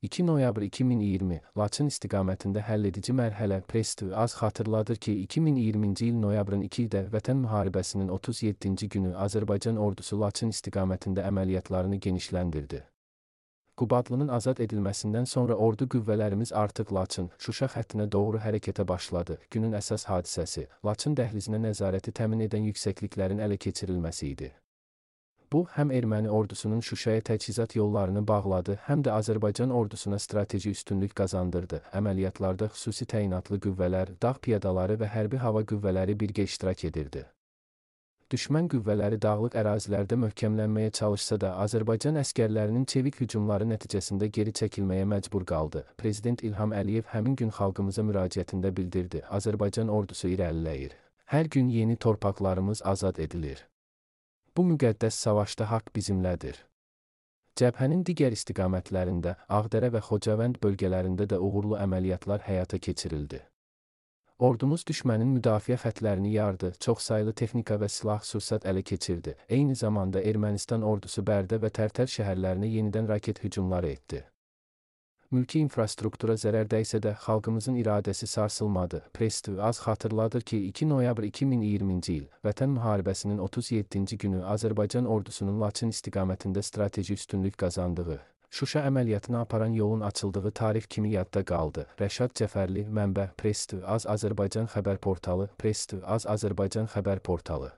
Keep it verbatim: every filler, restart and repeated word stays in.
iki noyabr iki min iyirmi, Laçın istiqamətində həlledici mərhələ. Press T V az xatırladır ki, iki min iyirminci il noyabrın ikidə Vətən müharibəsinin otuz yeddinci günü Azərbaycan ordusu Laçın istiqamətində əməliyyatlarını genişləndirdi. Qubadlının azad edilməsindən sonra ordu qüvvələrimiz artıq Laçın, Şuşa xəttinə doğru hərəkətə başladı. Günün əsas hadisəsi, Laçın dəhlizinə nəzarəti təmin edən yüksəkliklərin ələ keçirilməsi idi. Bu, həm erməni ordusunun Şuşaya təchizat yollarını bağladı, həm də Azərbaycan ordusuna strateji üstünlük qazandırdı. Əməliyyatlarda xüsusi təyinatlı qüvvələr, dağ piyadaları və hərbi hava qüvvələri birgə iştirak edirdi. Düşmən qüvvələri dağlıq ərazilərdə möhkəmlənməyə çalışsa da, Azərbaycan əskərlərinin çevik hücumları nəticəsində geri çəkilməyə məcbur qaldı. Prezident İlham Əliyev həmin gün xalqımıza müraciətində bildirdi: Azərbaycan ordusu irəliləyir. Hər gün yeni torpaqlarımız azad edilir. Bu müqəddəs savaşda haqq bizimlədir. Cəbhənin digər istiqamətlərində, Ağdərə və Xocavənd bölgələrində də uğurlu əməliyyatlar həyata keçirildi. Ordumuz düşmənin müdafiə xətlərini yardı, çoxsaylı texnika və silah-sursat ələ keçirdi. Eyni zamanda Ermənistan ordusu Bərdə və Tərtər şəhərlərinə yenidən raket hücumları etdi. Mülki infrastruktura zərər dəysə də xalqımızın iradəsi sarsılmadı. Press T V az xatırladır ki, iki noyabr iki min iyirminci il Vətən müharibəsinin otuz yeddinci günü Azərbaycan ordusunun Laçın istiqamətində strateji üstünlük qazandığı, Şuşa əməliyyatını aparan yolun açıldığı tarix kimi yadda qaldı. Rəşad Cəfərli, mənbə: Press T V az Azərbaycan xəbər portalı. Press T V az Azərbaycan xəbər portalı.